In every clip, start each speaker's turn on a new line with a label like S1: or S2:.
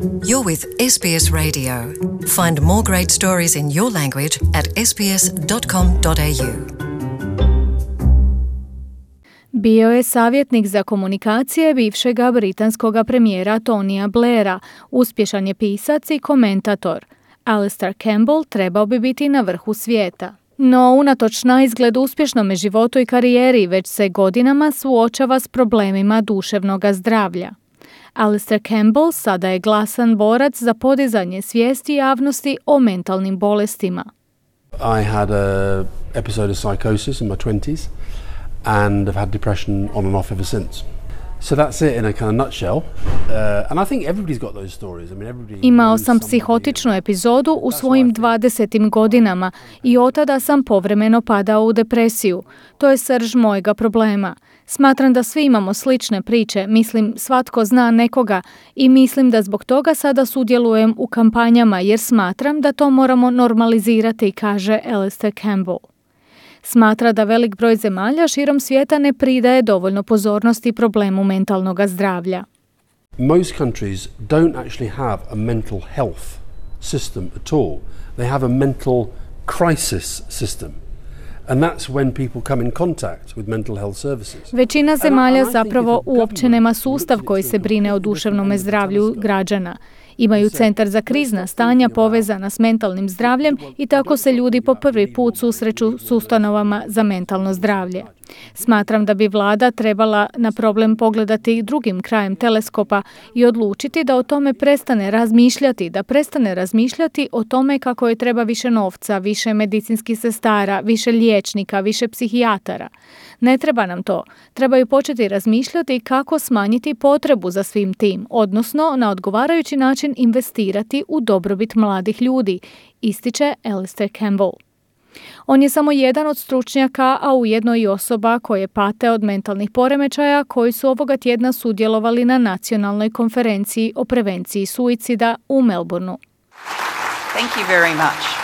S1: You're with SBS Radio. Find more great stories in your language at sbs.com.au.
S2: Bio je savjetnik za komunikacije bivšega britanskog premijera Tonija Blaira, uspješan je pisac i komentator. Alistair Campbell trebao bi biti na vrhu svijeta. No, unatoč naizgled uspješnome životu i karijeri, već se godinama suočava s problemima duševnog zdravlja. Alistair Campbell sada je glasan borac za podizanje svijesti javnosti o mentalnim bolestima.
S3: I had an episode of psychosis in my 20s and I've had depression on and off ever since. So that's it in a kind of nutshell. And I think everybody's got those stories. I mean, everybody.
S2: Imao sam psihotičnu epizodu u svojim 20. godinama i od tada sam povremeno padao u depresiju. To je srž mojega problema. Smatram da svi imamo slične priče, mislim svatko zna nekoga i mislim da zbog toga sada sudjelujem u kampanjama jer smatram da to moramo normalizirati, kaže Alistair Campbell. Smatra da velik broj zemalja širom svijeta ne pridaje dovoljno pozornosti problemu mentalnog zdravlja.
S3: Most countries don't actually have a mental health system at all. They have a mental crisis system. And that's when people come in contact with mental health services.
S2: Većina zemalja zapravo uopće nema sustav koji se brine o duševnom zdravlju građana. Imaju centar za krizna stanja povezana s mentalnim zdravljem i tako se ljudi po prvi put susreću s ustanovama za mentalno zdravlje. Smatram da bi vlada trebala na problem pogledati drugim krajem teleskopa i odlučiti da o tome prestane razmišljati o tome kako je treba više novca, više medicinskih sestara, više liječnika, više psihijatara. Ne treba nam to. Trebaju početi razmišljati kako smanjiti potrebu za svim tim, odnosno na odgovarajući način investirati u dobrobit mladih ljudi, ističe Alistair Campbell. On je samo jedan od stručnjaka, a ujedno i osoba koje pate od mentalnih poremećaja koji su ovoga tjedna sudjelovali na nacionalnoj konferenciji o prevenciji suicida u Melbourneu.
S4: Thank you very much.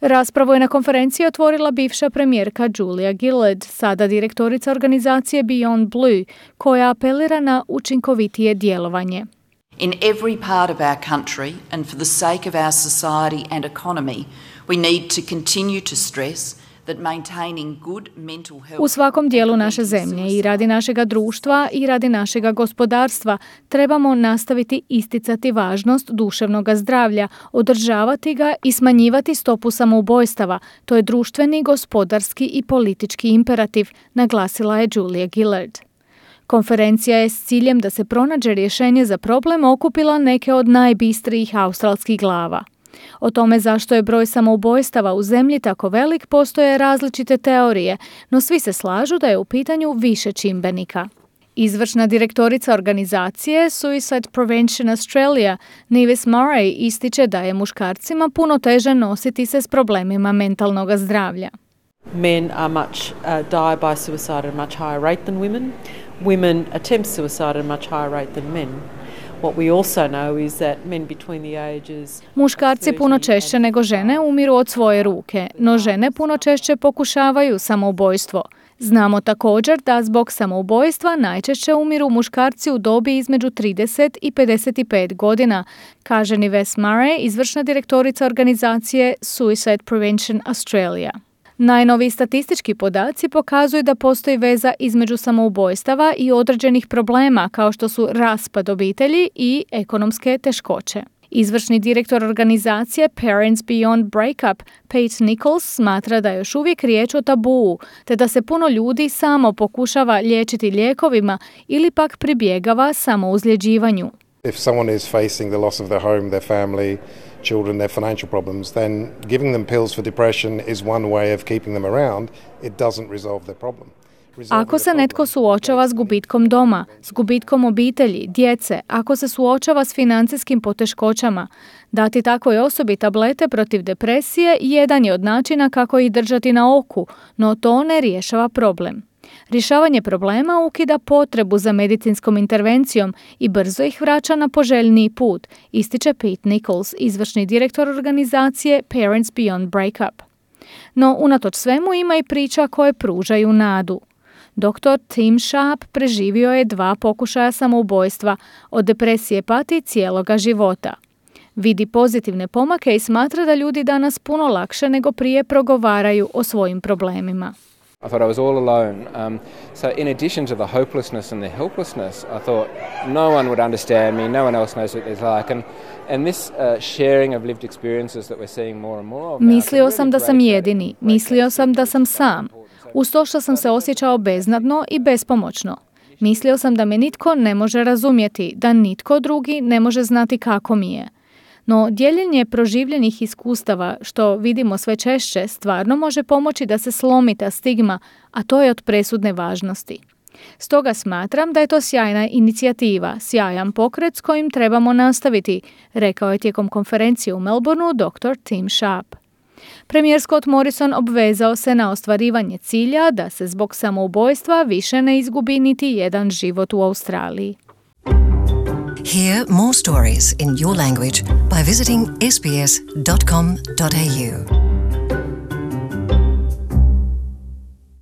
S2: Raspravu je na konferenciji otvorila bivša premijerka Julia Gillard, sada direktorica organizacije Beyond Blue, koja apelira na učinkovitije djelovanje.
S4: In every part of our country and for the sake of our society and economy, we need to continue to stress that maintaining good mental health.
S2: U svakom dijelu naše zemlje i radi našega društva i radi našega gospodarstva trebamo nastaviti isticati važnost duševnog zdravlja, održavati ga i smanjivati stopu samoubojstava. To je društveni, gospodarski i politički imperativ, naglasila je Julia Gillard. Konferencija je s ciljem da se pronađe rješenje za problem okupila neke od najbistrijih australskih glava. O tome zašto je broj samoubojstava u zemlji tako velik postoje različite teorije, no svi se slažu da je u pitanju više čimbenika. Izvršna direktorica organizacije Suicide Prevention Australia, Nevis Murray, ističe da je muškarcima puno teže nositi se s problemima mentalnog zdravlja.
S5: Men are die by suicide at a much higher rate than women. Women attempt suicide at a much higher rate than men. What we also know is that men between the ages...
S2: Muškarci puno češće nego žene umiru od svoje ruke, no žene puno češće pokušavaju samoubojstvo. Znamo također da zbog samoubojstva najčešće umiru muškarci u dobi između 30 i 55 godina, kaže Nevis Murray, izvršna direktorica organizacije Suicide Prevention Australia. Najnoviji statistički podaci pokazuju da postoji veza između samoubojstava i određenih problema kao što su raspad obitelji i ekonomske teškoće. Izvršni direktor organizacije Parents Beyond Breakup, Pete Nichols, smatra da je još uvijek riječ o tabuu, te da se puno ljudi samo pokušava liječiti lijekovima ili pak pribjegava samouzljeđivanju.
S6: If someone is facing the loss of their home, their family, children, their financial problems, then giving them pills for depression is one way of keeping them around. It doesn't resolve their problem.
S2: Ako se netko suočava s gubitkom doma, s gubitkom obitelji, djece, ako se suočava s financijskim poteškoćama, dati takvoj osobi tablete protiv depresije jedan je od načina kako ih držati na oku, no to ne rješava problem. Rješavanje problema ukida potrebu za medicinskom intervencijom i brzo ih vraća na poželjniji put, ističe Pete Nichols, izvršni direktor organizacije Parents Beyond Breakup. No, unatoč svemu ima i priča koje pružaju nadu. Dr. Tim Sharp preživio je 2 pokušaja samoubojstva, od depresije pati cijeloga života. Vidi pozitivne pomake i smatra da ljudi danas puno lakše nego prije progovaraju o svojim problemima.
S7: I thought I was all alone. So in addition to the hopelessness and the helplessness, I thought no one would understand me, no one else knows what it's like. And this sharing of lived experiences that we're seeing more and more of now.
S2: Mislio sam da sam jedini, mislio sam da sam sam. Uz to što sam se osjećao beznadno i bespomoćno. Mislio sam da me nitko ne može razumjeti, da nitko drugi ne može znati kako mi je. No, dijeljenje proživljenih iskustava, što vidimo sve češće, stvarno može pomoći da se slomi ta stigma, a to je od presudne važnosti. Stoga smatram da je to sjajna inicijativa, sjajan pokret s kojim trebamo nastaviti, rekao je tijekom konferencije u Melbourneu dr. Tim Sharp. Premijer Scott Morrison obvezao se na ostvarivanje cilja da se zbog samoubojstva više ne izgubi niti jedan život u Australiji.
S1: Hear more stories in your language by visiting sbs.com.au.